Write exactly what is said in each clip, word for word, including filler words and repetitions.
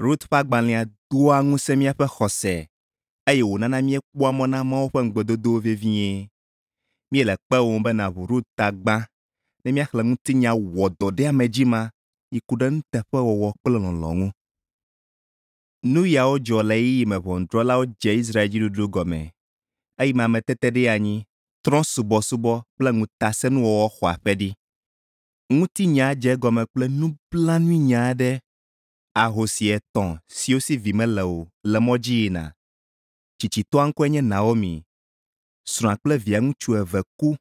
Rut ƒe agbalẽa doa ŋusẽ míaƒe xɔse eye wònana míekpɔa mɔ na Mawu ƒe ŋugbedodowo vevie. Míele kpewòm be nàʋu Rut ta gbã ne míaxlẽ ŋutinya wɔdɔɖeamedzi ma yi ku ɖe nuteƒewɔwɔ kple lɔlɔ̃ ŋu. Nu yawo dzɔ le ɣeyiɣi me ʋɔnudrɔ̃lawo dze Israel dziɖuɖu gɔme eyime ameteteɖeanyi, trɔ̃subɔsubɔ kple ŋutasẽnuwɔwɔ xɔ aƒe ɖi. Ŋutinya dze egɔme kple nublanuinya aɖe. Ahosi etɔ̃ siwo si vi mele o le mɔ dzi yina. Tsitsitɔa ŋkɔe nye Naomi. Srɔ̃a kple via ŋutsu eve ku.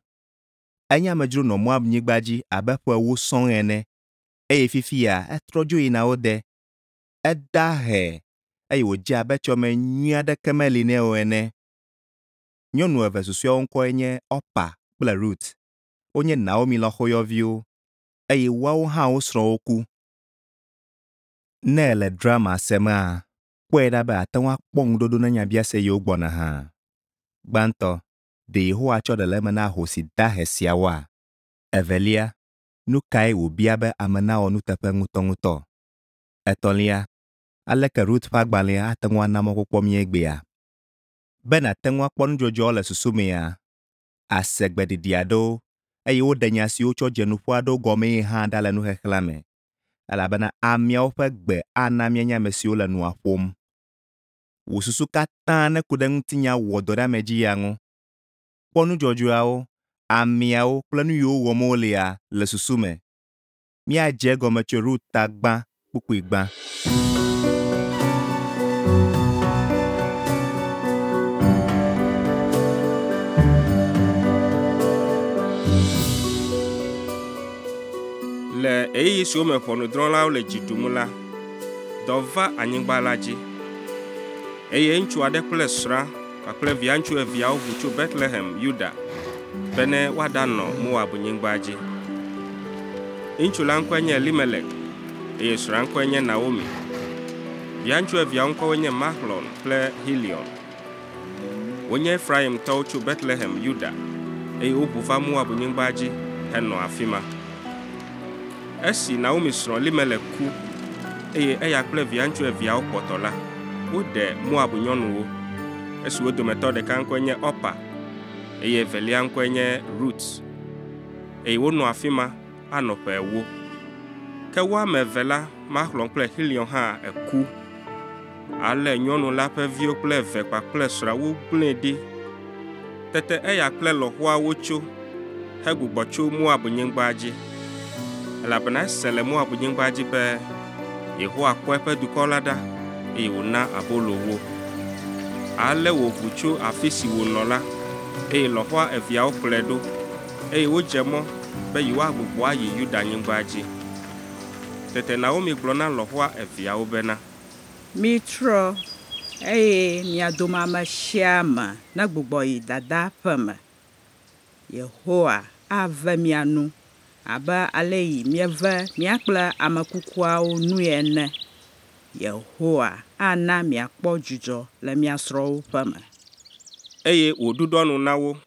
Enye amedzro nɔ Moab nyigba dzi abe ƒe ewo sɔŋ ene eye fifia etrɔ dzo yina wo de. Eda ahe eye wòdze abe etsɔme nyui aɖeke meli nɛ o ene. Nyɔnu eve susɔeawo ŋkɔe nye Orpa kple Rut. Wonye Naomi lɔ̃xoyɔviwo eye woawo hã wo srɔ̃wo ku. Ne èle drama semea, kpɔe ɖa be àte ŋu akpɔ ŋuɖoɖo na nyabiase yiwo gbɔna hã. Gbãtɔ, ɖe Yehowa tsɔ ɖe le eme na ahosi dahe siawoa? Evelia, nu kae wòbia be ame nawɔ nuteƒe ŋutɔŋutɔ? Etɔ̃lia, aleke Rut ƒe agbalẽa ate ŋu ana mɔkpɔkpɔ mí egbea? Be nàte ŋu akpɔ nudzɔdzɔawo le susu mea, àse gbeɖiɖi aɖewo eye woɖe nya siwo wotsɔ dze nuƒo aɖewo gɔmee hã ɖa le nuxexlẽa me elabena ameawo ƒe gbe ana míanya ame siwo le nua ƒom. Wò susu katã neku ɖe ŋutinya wɔdɔɖeamedzi ya ŋu. Kpɔ nudzɔdzɔawo, ameawo kple nu yiwo wɔm wolea le susu me. Míadze egɔme tso Rut ta gbã kpukpui gbã. Le ɣeyiɣi siwo me ʋɔnudrɔ̃lawo le dzi ɖum la, dɔ va anyigba la dzi. Eye ŋutsu aɖe kple srɔ̃a kpakple via ŋutsu eveawo ʋu tso Betlehem, Yuda, bene woaɖanɔ Moab nyigba dzi. Ŋutsu la ŋkɔe nye Elimelek eye srɔ̃a ŋkɔe nye Naomi. Via ŋutsu eveawo ŋkɔwoe nye Mahlon kple Hilion. Wonye Efraimtɔwo tso Betlehem, Yuda, eye woʋu va Moab nyigba dzi henɔ afi ma. Esi Naomi srɔ̃ Elimelek ku eye eya kple via ŋutsu eveawo kpɔtɔ la, woɖe Moab nyɔnuwo. Esi wo dometɔ ɖeka ŋkɔe nye Orpa eye evelia ŋkɔe nye Rut. Eye wonɔ afi ma anɔ ƒe ewo. Ke wo ame eve la, Mahlon kple Xilion hã eku. Ale nyɔnu la ƒe viwo kple eve kpakple srɔ̃a wogblẽe ɖi. Tete eya kple lɔ̃xoa wotso hegbugbɔ tso Moab nyigba dzi elabena ese le Moab nyigba dzi be Yehowa kpɔ eƒe dukɔ la ɖa eye wòna abolo wo. Ale wòʋu tso afi si wònɔ la eye lɔ̃xoa eveawo kplɔe ɖo eye wodze mɔ be yewoagbugbɔ ayi Yudanyigba dzi. Tete Naomi gblɔ na lɔ̃xoa eveawo bena, Mitrɔ eye mia dome ame sia ame negbugbɔ yi dada ƒe me. Yehowa ave mia nu abe ale yi mieve mía kple ame kukuawo nui ene. Yehowa ana miakpɔ dzidzɔ le mia srɔ̃wo ƒe me. Eye wòɖuɖɔ nu na wo.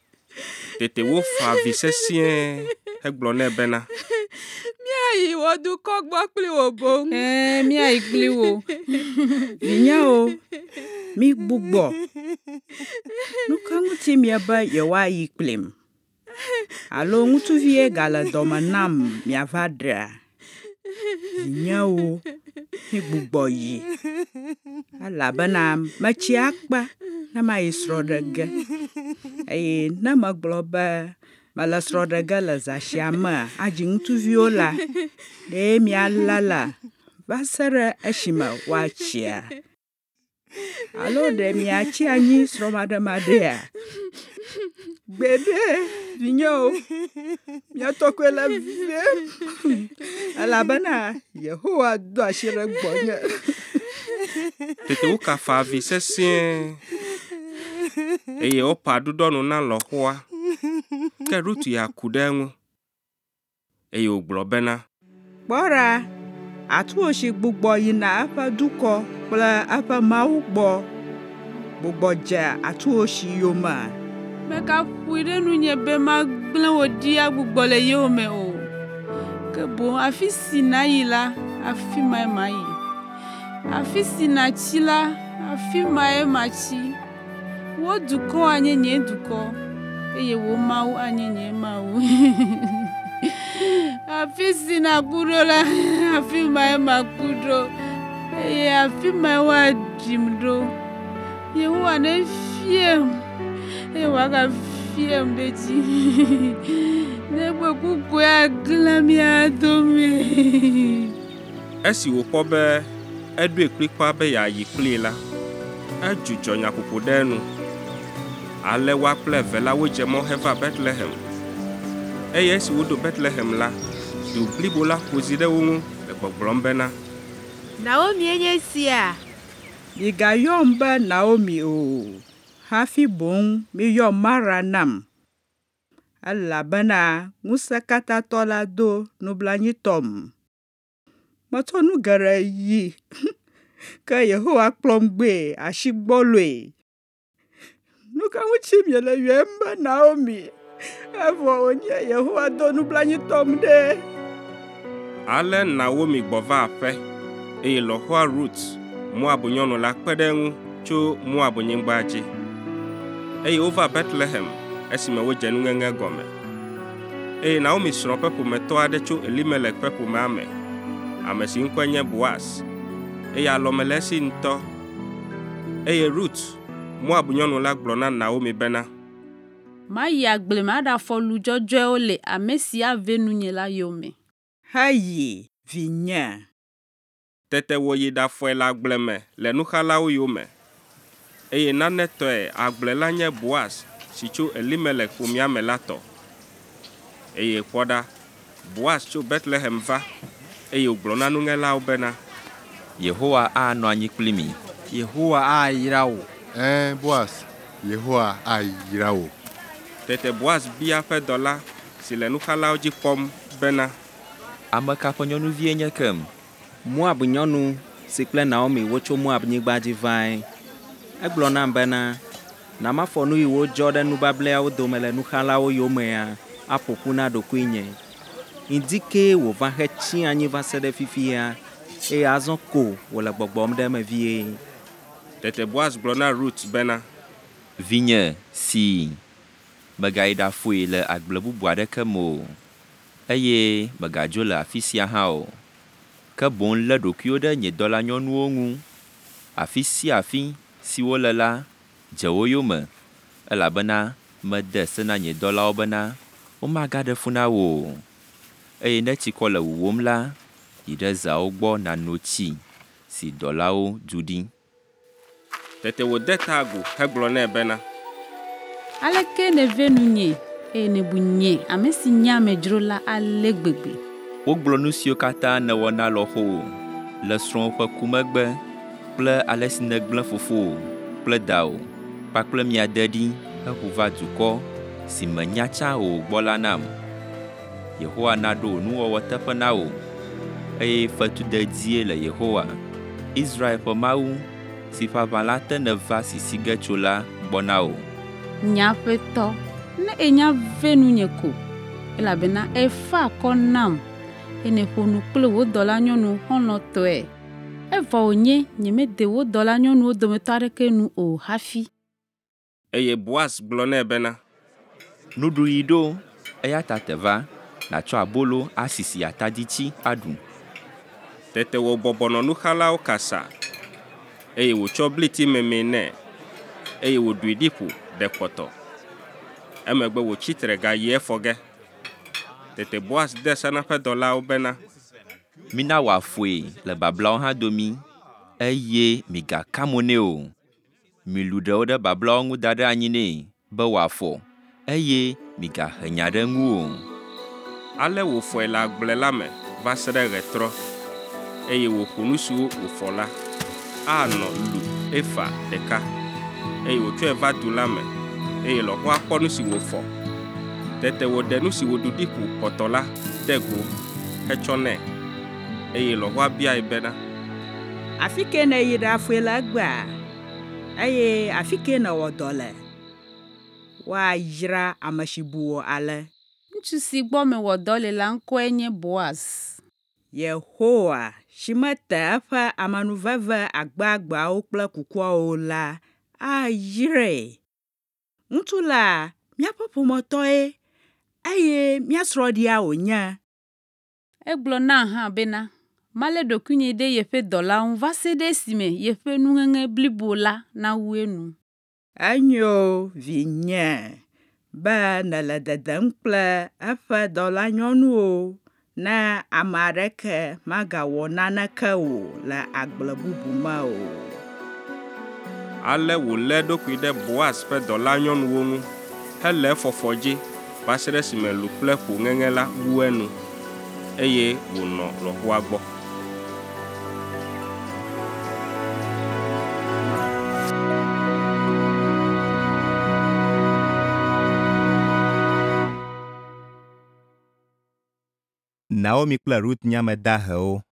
Tete wofa avi sesĩe hegblɔ nɛ bena, Míayi wò dukɔ gbɔ kpli wò boŋ. Ɛ̃, míayi kpli wò. Vinyewo, migbugbɔ. Nu ka ŋuti miebe yewoayi kplim? Alo ŋutsuvie gale dɔme nam miava ɖea? Vinyewo, migbugbɔ yi, elabena metsi akpa ne mayi srɔ̃ ɖe ge. Eye ne megblɔ be mele srɔ̃ ɖe ge le zã sia mea adzi ŋutsuviwo la, ɖe mialala va se ɖe esime woatsia? Alo ɖe miatsi anyi srɔ̃maɖemaɖea? Gbeɖe, vinyewo, mia tɔkɔe le vevem elabena Yehowa do asi ɖe gbɔnye. Tete wokafa avi sesĩe eye Orpa ɖuɖɔ nu na lɔ̃xoa. Ke Rut ya ku ɖe eŋu eye wògblɔ bena, Kpɔ ɖa, atuwosi gbugbɔ yina eƒe dukɔ kple eƒe Mawu gbɔ. Gbugbɔ dze atuwosi yome. Mègaƒoe ɖe nunye be magblẽ wò ɖi agbugbɔ le yowòme o. Ke boŋ afi si nàyi la, afi mae mayi. Afi si nàtsi la, afi mae matsi. Wò dukɔ anye nye dukɔ, eye wò Mawu anye nye Mawu. Afi si nàku ɖo la, afi mae maku ɖo, eye afi mae woaɖim ɖo. Yehowa nefiem, eye wòagafiem ɖe edzi, negbe ku koe aklã mía dome.” Esi wòkpɔ be eɖoe kplikpaa be yeayi kplii la, edzudzɔ nyaƒoƒo ɖe enu. Ale woa kple eve la wodze mɔ heva Betlehem. Eye esi woɖo Betlehem la, du blibo la ƒo zi ɖe wo ŋu le gbɔgblɔm bena, Naomie nye esia? Migayɔm be Naomi o, hafi boŋ miyɔ Mara nam, elabena Ŋusẽkatãtɔ la do nublanuitɔm. Metsɔ nu geɖe yi, ke Yehowa kplɔm gbɔe asi gbɔloe. Nu ka ŋuti miele yɔem be Naomi, evɔ wònye Yehowa do nublanuitɔm ɖe?” Ale Naomi gbɔ va aƒe, eye lɔ̃xoa Rut, Moab nyɔnu la kpe ɖe eŋu tso Moabnyigba dzi. Eye wova Betlehem esime wodze nuŋeŋe gɔme. Eye Naomi srɔ̃ ƒe ƒometɔ aɖe tso Elimelek ƒe ƒomea me, ame si ŋkɔe nye Boaz, eye alɔme le esi ŋutɔ. Eye Rut, Moab nyɔnu la gblɔ na Naomi bena, Mayi agble me aɖafɔ lu dzɔdzɔewo le ame si ave nunye la yome. Heyi, vinye. Tete wòyi ɖafɔe le agble me le nuxalawo yome. Eye nane tɔe agble la nye Boaz si tso Elimelek ƒomea me la tɔ. Eye kpɔ ɖa, Boaz tso Betlehem va, eye wògblɔ na nuŋelawo bena, Yehowa anɔ anyi kpli mi. Yehowa ayra wò. Ɛ̃, Boaz, Yehowa ayra wò. Tete Boaz bia eƒe dɔla si le nuxalawo dzi kpɔm bena, Ame ka ƒe nyɔnuvie nye kem? Moab nyɔnu si kple Naomi wotso Moabnyigba dzi vae. Egblɔ nam bena, na mafɔ nu yiwo dzɔ ɖe nubableawo dome le nuxalawo yomea aƒo ƒu na ɖokuinye. Ŋdi kee wòva hetsi anyi va se ɖe fifia, eye azɔ ko wòle gbɔgbɔm ɖe eme vie. Tete Boaz gblɔ na Rut bena, Vinye, si, mègayi ɖafoe le agble bubu aɖeke me o, eye mègadzo le afi sia hã o. Ke boŋ lé ɖokuiwò ɖe nye dɔlanyɔnuwo ŋu. Afi sia afi si wole la, dze wo yome, elabena mede se na nye dɔlawo bena womagaɖe fu na wò o. Eye ne tsikɔ le wuwòm la, yi ɖe zeawo gbɔ nàno tsi si dɔlawo du ɖi. Tete wòde ta agu hegblɔ nɛ bena, Aleke nève nunye, eye nèbu nye, ame si nye amedzro la ale gbegbe. Wogblɔ nu siwo katã nèwɔ na lɔ̃xowò le srɔ̃wò ƒe ku megbe kple ale si nègblẽ fofowò kple dawò kpakple mia de ɖi heʋu va dukɔ si mènya tsã o gbɔ la nam. Yehowa naɖo wò nuwɔwɔ teƒe na wò, eye fetu dedie le Yehowa, Israel ƒe Mawu, si ƒe aʋala te nèva sisi ge tso la gbɔ na wò. Nye aƒetɔ, ne ènya ve nunye ko, elabena èfa akɔ nam, eye nèƒo nu kple wò dɔlanyɔnu xɔlɔ̃tɔe, evɔ wònye nyemede wò dɔlanyɔnuwo dometɔ aɖeke nu o hafi. Eye Boaz gblɔ nɛ bena, Nuɖuɣi ɖo, eya ta te va, nàtsɔ abolo asisi ataditsi aɖu. Tete wòbɔbɔ nɔ nuxalawo kasa, eye wòtsɔ bliti memee nɛ, eye wòɖui ɖi ƒo ɖe kpɔtɔ. Emegbe wòtsi tre gayi efɔ ge. Tete Boaz de se na eƒe dɔlawo bena, Mina wòafoe le bablawo hã domi, eye migaka mo nɛ o. Milu ɖewo ɖe bablawo ŋu da ɖe anyi nɛ be wòafɔ, eye migahe nya ɖe eŋu o. Ale wòfɔe le agble la me va se ɖe ɣetrɔ, eye wòƒo nu siwo wòfɔ la, anɔ lu efa ɖeka, eye wòtsɔe va du la me, eye lɔ̃xoa kpɔ nu si wòfɔ. Tete wòɖe nu si wòɖu ɖi ƒo kpɔtɔ la ɖe go hetsɔ nɛ, eye lɔ̃xoa biae bena, Afi ke nèyi ɖafoe le egbea, eye afi ke nèwɔ dɔ le? Woayra ame si bu wò ale. Ŋutsu si gbɔ mewɔ dɔ le la ŋkɔe nye Boaz. Yehowa si mete eƒe amenuveve agbagbeawo kple kukuawo la ayrae. Ŋutsu la míaƒe ƒometɔe, eye mía srɔ̃ɖia wònye.” Egblɔ nam hã bena, malé ɖokuinye ɖe yeƒe dɔlawo ŋu va se ɖe esime yeƒe nuŋeŋe blibo la nawu enu. Enyo, vinye, be nèle dedem kple eƒe dɔlanyɔnuwo ne ame aɖeke magawɔ naneke wò le agble bubu me o. Ale wòlé eɖokui ɖe Boaz ƒe dɔlanyɔnuwo ŋu hele efɔfɔ dzi va se ɖe esime lu kple ƒo ŋeŋe la wu enu, eye wònɔ lɔ̃xoa gbɔ. Naomi kple Rut nye ame dahewo,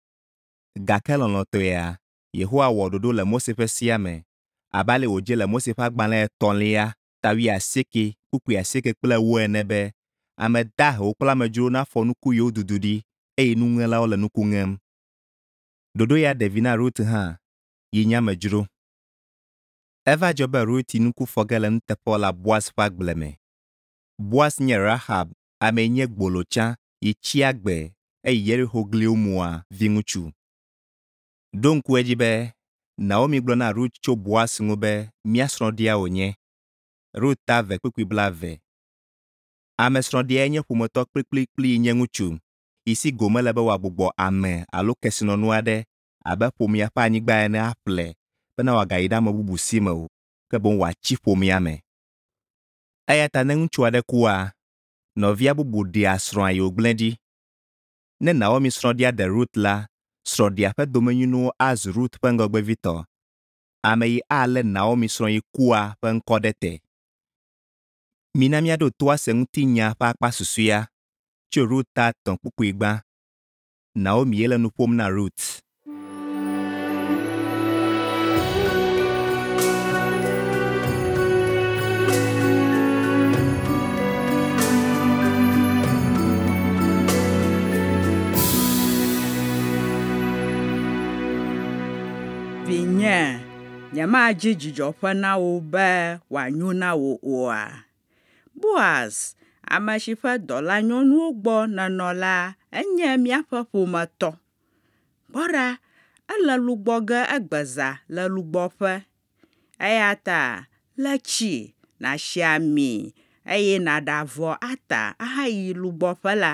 gake lɔlɔ̃tɔea, Yehowa wɔ ɖoɖo le Mose ƒe sea me abe ale wòdze le Mose ƒe agbalẽ etɔ̃lia ta wuiasieke kpukpui asieke kple ewo ene be ame dahewo kple amedzrowo nafɔ nuku yiwo dudu ɖi eye nuŋelawo le nuku ŋem. Ɖoɖo ya ɖe vi na Rut hã yi nye amedzro. Eva dzɔ be Rut yi nuku fɔ ge le nuteƒewɔla Boaz ƒe agble me. Boaz nye Rahab, ame yi nye gbolo tsã yi tsi agbe eye Yeriko gliwo mua viŋutsu. Ɖo ŋku edzi be Naomi gblɔ na Rut tso Boaz ŋu be mía srɔ̃ɖia wònye. Rut ta eve kpukpui blaeve. Ame srɔ̃ɖiae nye ƒometɔ kplikplikpli yi nye ŋutsu yi si gome le be wòagbugbɔ ame alo kesinɔnu aɖe abe ƒomea ƒe anyigba ene aƒle bena wòagayi ɖe ame bubu si me o, ke boŋ wòatsi ƒomea me. Eya ta ne ŋutsu aɖe kua, nɔvia bubu ɖea srɔ̃a yi wògblẽ ɖi. Ne Naomi srɔ̃ɖia ɖe Rut la, srɔ̃ɖia ƒe domenyinuwo azu Rut ƒe ŋgɔgbevitɔ, ame yi alé Naomi srɔ̃ yi kua ƒe ŋkɔ ɖe te. Mina míaɖo to ase ŋutinya ƒe akpa susɔea tso Rut ta etɔ̃ kpukpui gbã. Naomi ye le nu ƒom na Rut. Vinye, nyemadzi dzidzɔƒe na wò be wòanyo na wò oa? Boaz, ame si ƒe dɔlanyɔnuwo gbɔ nènɔ la enye míaƒe ƒometɔ. Kpɔ ɖa, ele lu gbɔ ge egbe zã le lugbɔƒe. Eya ta le tsi, nàsi ami, eye nàɖe avɔ ata ahayi lugbɔƒe la.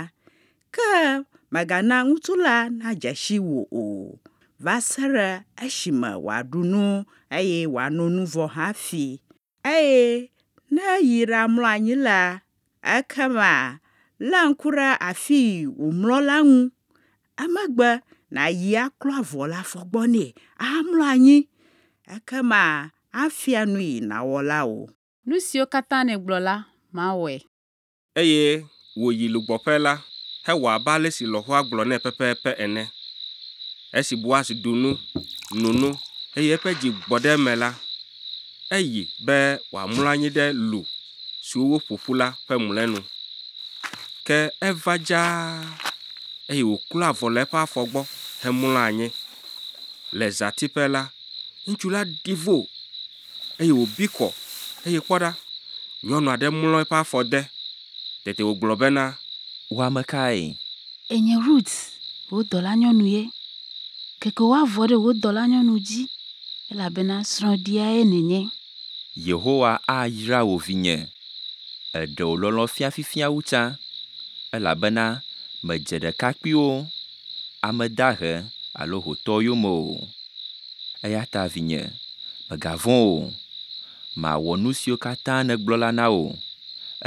Ke mègana ŋutsu la nadze si wò o va se ɖe esime wòaɖu nu eye wòano nu vɔ hafi. Eye ne eyi ɖamlɔ anyi la, ekema lé ŋku ɖe afi yi wòmlɔ la ŋu. Emegbe nàyi aklɔ avɔ le afɔ gbɔ nɛ ahamlɔ anyi. Ekema afia nu yi nàwɔ la wò. Nu siwo katã nègblɔ la, mawɔe. Eye wòyi lugbɔƒe la hewɔ abe ale si lɔ̃xoa gblɔ nɛ pɛpɛpɛ ene. Esi Boaz ɖu nu, no nu, eye eƒe dzi gbɔ ɖe eme la, eyi be wòamlɔ anyi ɖe lu siwo woƒo ƒu la ƒe mlɔenu. Ke eva dzaa, eye wòklɔ avɔ le eƒe afɔ gbɔ hemlɔ anyi. Le zãtiƒe la, ŋutsu la ɖi vo, eye wòbi kɔ, eye kpɔ ɖa, nyɔnu aɖe mlɔ eƒe afɔ de. Tete wògblɔ bena, Wò ame kae? Enye Rut, wò dɔlanyɔnu ye. Keke wò avɔ ɖe wò dɔlanyɔnu dzi, elabena srɔ̃ɖiae nènye. Yehowa ayra wò vinye. Èɖe wò lɔlɔ̃ fia fifia wu tsã, elabena mèdze ɖekakpuiwo, ame dahe alo hotɔwo yome o. Eya ta vinye, mègavɔ̃ o. Mawɔ nu siwo katã nègblɔ la na wò,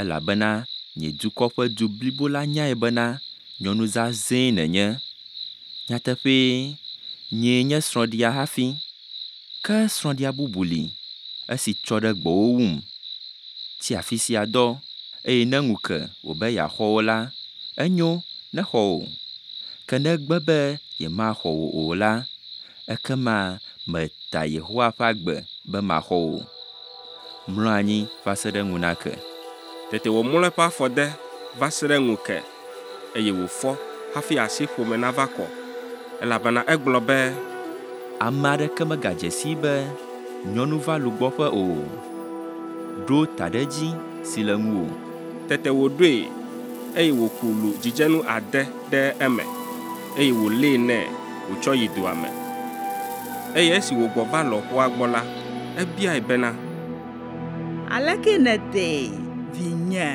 elabena nye dukɔ ƒe du blibo la nyae bena nyɔnu zazɛ̃e nènye. Nyateƒee, nyee nye srɔ̃ɖia hafi. Ke srɔ̃ɖia bubu li, esi tsɔ ɖe gbɔwò wum. Tsi afi sia dɔ, eye ne ŋu ke wòbe yeaxɔ wò la, enyo nexɔ wò. Ke ne egbe be yemaxɔ wò o la, ekema meta Yehowa ƒe agbe be maxɔ wò. Mlɔ anyi va se ɖe ŋu nake. Tete wòmlɔ eƒe afɔ de va se ɖe ŋu ke, eye wòfɔ hafi asi ƒome nava kɔ. Elabena egblɔ be, Ame aɖeke megadze sii be nyɔnu va lugbɔƒe o. Ɖo taɖedzi si le ŋuwò. Tete wòɖoe, eye wòku lu dzidzenu ade ɖe eme, eye wòlée nɛ wòtsɔ yi dua me. Eye esi wògbɔ va lɔ̃xoa gbɔ la, ebiae bena, Aleke nèdee, vinye?”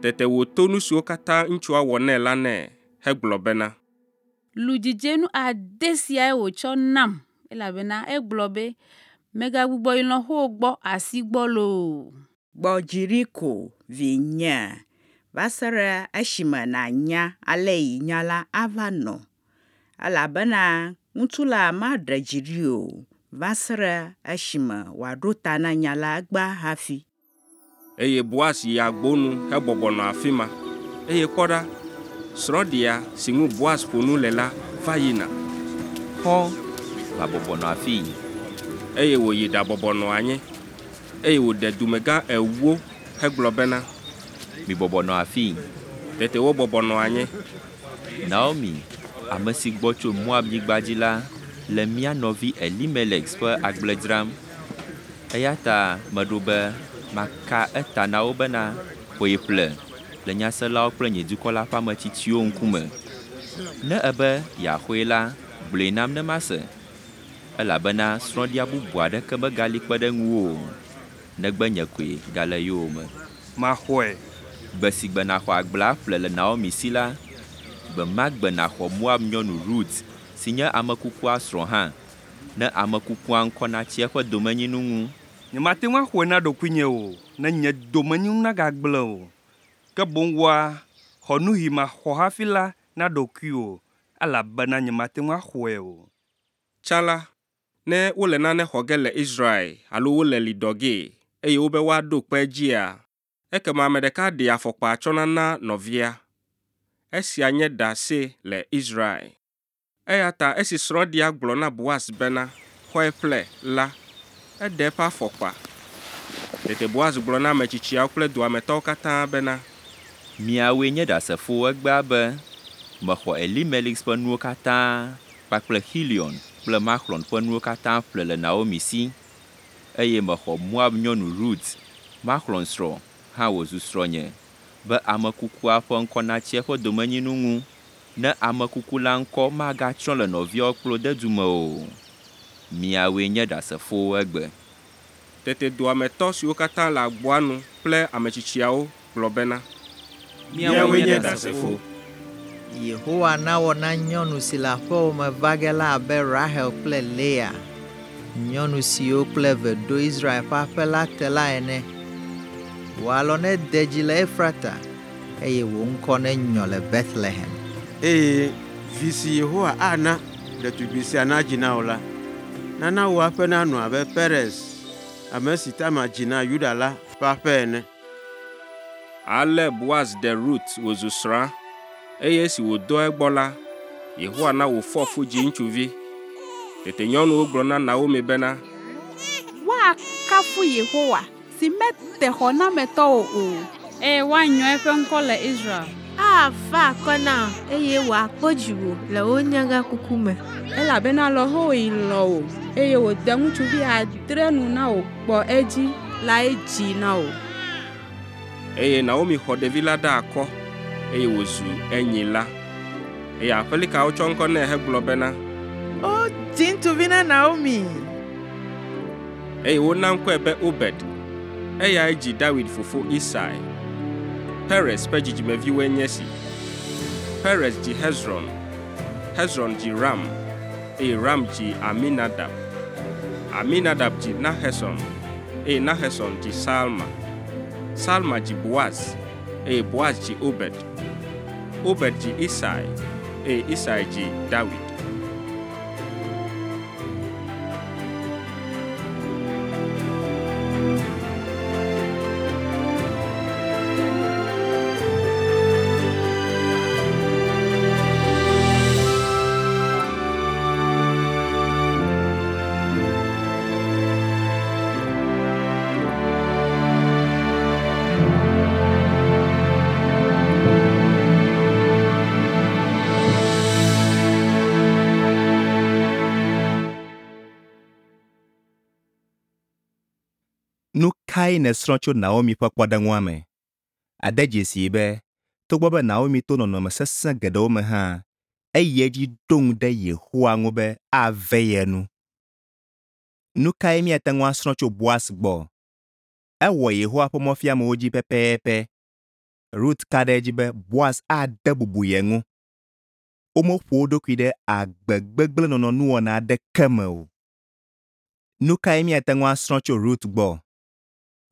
Tete wòto nu siwo katã ŋutsua wɔ nɛ la nɛ hegblɔ bena, Lu dzidzenu ade siae wòtsɔ nam, elabena egblɔ be, ‘Mègagbugbɔ yi lɔ̃xowò gbɔ asi gbɔlo o.’ Gbɔ dzi ɖi ko, vinye, va se ɖe esime nànya ale yi nya la ava nɔ, elabena ŋutsu la maɖe dzi ɖi o va se ɖe esime wòaɖo ta na nya la egbea hafi. Eye Boaz yi agbo nu hebɔbɔ nɔ afi ma, eye kpɔ ɖa, srɔ̃ɖia si ŋu Boaz ƒo nu le la va yina. Xɔ, va bɔbɔ nɔ afii. Eye wòyi ɖabɔbɔ nɔ anyi, eye wòɖe dumegã ewo hegblɔ bena, Mibɔbɔ nɔ afii. Tete wobɔbɔ nɔ anyi. Naomi, ame si gbɔ tso Moabnyigba dzi la le mía nɔvi Elimelex ƒe agble dzram. Eya ta meɖo be maka eta na wo bena, xɔe ƒle le nyaselawo kple nye dukɔ la ƒe ame tsitsiwo ŋkume. Ne èbe yeaxɔe la, gblɔe nam ne mase, elabena srɔ̃ɖia bubu aɖeke megali kpe ɖe ŋuwò o, negbe nye koe gale yowòme. Maxɔe. Gbe si gbe nàxɔ agblea ƒle le Naomi si la, gbe ma gbe nàxɔ Moab nyɔnu Rut si nye ame kukua srɔ̃ hã, ne ame kukua ŋkɔ natsi eƒe domenyinu ŋu. Nyemate ŋu axɔe na ɖokuinye o, ne nye domenyinu nagagblẽ o. Ke boŋ wòa, xɔ nu yi maxɔ hafi la na ɖokuiwò, elabena nyemate ŋu axɔe o. Tsã la, ne wole nane xɔ ge le Israel alo wole li dɔ gee, eye wobe woaɖo kpe edzia, ekema ame ɖeka ɖea afɔkpa tsɔna na nɔvia. Esia nye ɖase le Israel. Eya ta esi srɔ̃ɖia gblɔ na Boaz bena, “Xɔe ƒle” la, eɖe eƒe afɔkpa. Tete Boaz gblɔ na ame tsitsiawo kple dua me tɔwo katã bena, Miawoe nye ɖasefowo egbea be mexɔ Elimelix ƒe nuwo katã kpakple Xilion kple Maxlon ƒe nuwo katã ƒle le Naomi si, eye mexɔ Moab nyɔnu Rut, Maxlon srɔ̃, hã wòzu srɔ̃nye, be ame kukua ƒe ŋkɔ natsi eƒe domenyinu ŋu, ne ame kuku la ŋkɔ magatsrɔ̃ le nɔviawo kple wo dedu me o. Miawoe nye ɖasefowo egbe. Tete dua me tɔ siwo katã le agboa nu kple ame tsitsiawo gblɔ bena, Míawoe nye ɖasefo. Yehowa nawɔ na nyɔnu si le aƒewò me va ge la abe Rahel kple Lea, nyɔnu siwo kple eve ɖo Israel ƒe aƒe la te la ene. Wò alɔ nede dzi le Efrata, eye wò ŋkɔ nenyɔ le Betlehem. Eye vi si Yehowa ana ɖetugbi sia nadzi na wò la, nana wò aƒe nanɔ abe Perez, ame si Tamar dzi na Yuda la ƒe aƒe ene. Ale Boaz ɖe Rut wòzu srɔ̃a, eye esi wòdɔ egbɔ la, Yehowa na wòfɔ fu dzi ŋutsuvi. Tete nyɔnuwo gblɔ na Naomi bena, Woakafu Yehowa si mete xɔnametɔwò o, eye woanyɔ eƒe ŋkɔ le Israel. Afa akɔ na wò, eye wòakpɔ dziwò le wò nyagãkuku me. Elabena lɔ̃xowò yi lɔ̃ wò, eye wòde ŋutsuvi adre nu na wò gbɔ edzi lae dzii na wò. Eye Naomi xɔ ɖevi la ɖe akɔ, eye wòzu enyila. Eye aƒelikawo tsɔ ŋkɔ nɛ hegblɔ bena, Wodzi ŋutsuvi na Naomi. Eye wona ŋkɔe be Obed. Eyae dzi David fofo Isai. Perez ƒe dzidzimeviwoe nye esi: Perez dzi Hezron, Hezron dzi Ram, eye Ram dzi Aminadab. Aminadab dzi Naheson, eye Naheson dzi Salma. Salma dzi Boaz, eye Boaz dzi Obed. Obed dzi Isai, eye Isai dzi David. Nu kae nèsrɔ̃ tso Naomi ƒe kpɔɖeŋua me? Ade dzesii be togbɔ be Naomi to nɔnɔme sesẽ geɖewo me hã, eyi edzi ɖo ŋu ɖe Yehowa ŋu be ave ye nu. Nu kae míate ŋu asrɔ̃ tso Boaz gbɔ? Ewɔ Yehowa ƒe mɔfiamewo dzi pɛpɛpɛ. Rut ka ɖe edzi be Boaz ade bubu ye ŋu. Womeƒo wo ɖokui ɖe agbe gbegblẽ nɔnɔ nuwɔna aɖeke me o. Nu kae míate ŋu asrɔ̃ tso Rut gbɔ?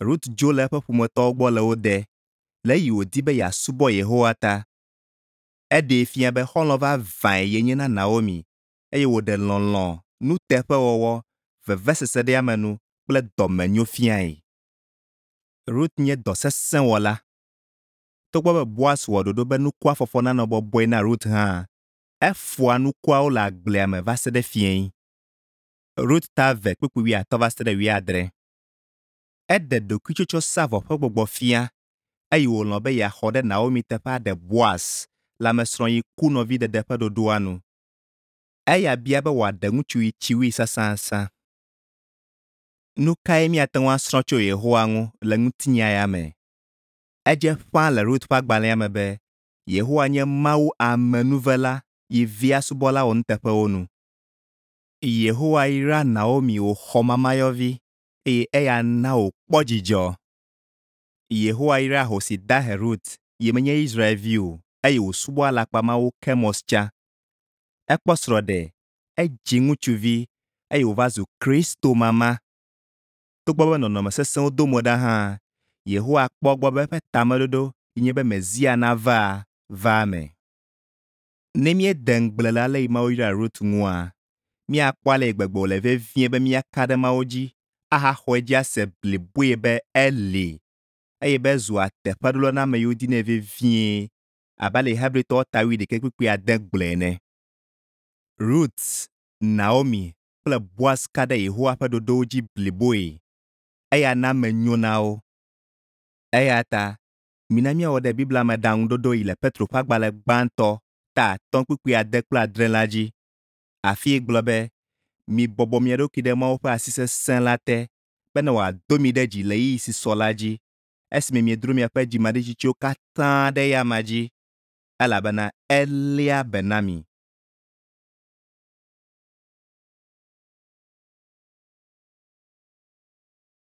Rut dzo le eƒe ƒometɔwo gbɔ le wo de le esi wòdi be yeasubɔ Yehowa ta. Eɖee fia be xɔlɔ̃ vavãe yenye na Naomi eye wòɖe lɔlɔ̃, nuteƒewɔwɔ, veveseseɖeamenu kple dɔmenyo fiae. Rut nye dɔ sesẽ wɔla. Togbɔ be Boaz wɔ ɖoɖo be nukua fɔfɔ nanɔ bɔbɔe na Rut hã, efɔa nukuawo le agblea me va se ɖe fiẽ. Rut ta eve kpukpui wuiatɔ̃ va se ɖe wuiadre. Eɖe ɖokuitsɔtsɔsavɔ ƒe gbɔgbɔ fia eye wòlɔ̃ be yeaxɔ ɖe Naomi teƒe aɖe Boaz le ame srɔ̃ yi ku nɔviɖeɖe ƒe ɖoɖoa nu. Eya bia be wòaɖe ŋutsu yi tsi wui sãsãsã. Nu kae míate ŋu asrɔ̃ tso Yehowa ŋu le ŋutinya ya me? Edze ƒãa le Rut ƒe agbalẽa me be Yehowa nye Mawu amenuvela yi via subɔla wɔnuteƒewo nu. Yehowa yra Naomi wòxɔ mamayɔvi eye eya na wòkpɔ dzidzɔ. Yehowa yra ahosi dahe Rut yi menye Israelvi o eye wòsubɔ alakpamawu Kemos tsã. Ekpɔ srɔ̃ɖe, edzi ŋutsuvi eye wòva zu Kristo mama. Togbɔ be nɔnɔme sesẽwo do mo ɖa hã, Yehowa kpɔ egbɔ be eƒe tameɖoɖo yi nye be Mesia nava va eme. Ne míede ŋugble le ale yi Mawu yra Rut ŋua, míakpɔ ale yi gbegbe wòle vevie be míaka ɖe Mawu dzi ahaxɔ edzi ase bliboe be eli eye be ezua teƒeɖola na ame yiwo dinɛ vevie abe ale yi Hebritɔwo ta wuiɖekɛ kpukpui ade gblɔe ene. Rut, Naomi kple Boaz ka ɖe Yehowa ƒe ɖoɖowo dzi bliboe. Eya na eme nyo na wo. Eya ta mina míawɔ ɖe Biblia me ɖaŋuɖoɖo yi le Petro ƒe agbalẽ gbãtɔ ta atɔ̃ kpukpui ade kple adre la dzi. Afi yi gblɔ be, mibɔbɔ mia ɖokui ɖe Mawu ƒe asi sesẽ la te bene wòado mi ɖe dzi le ɣeyiɣi si sɔ la dzi esime miedro miaƒe dzimaɖitsitsiwo katã ɖe eya amea dzi elabena eléa be na mi.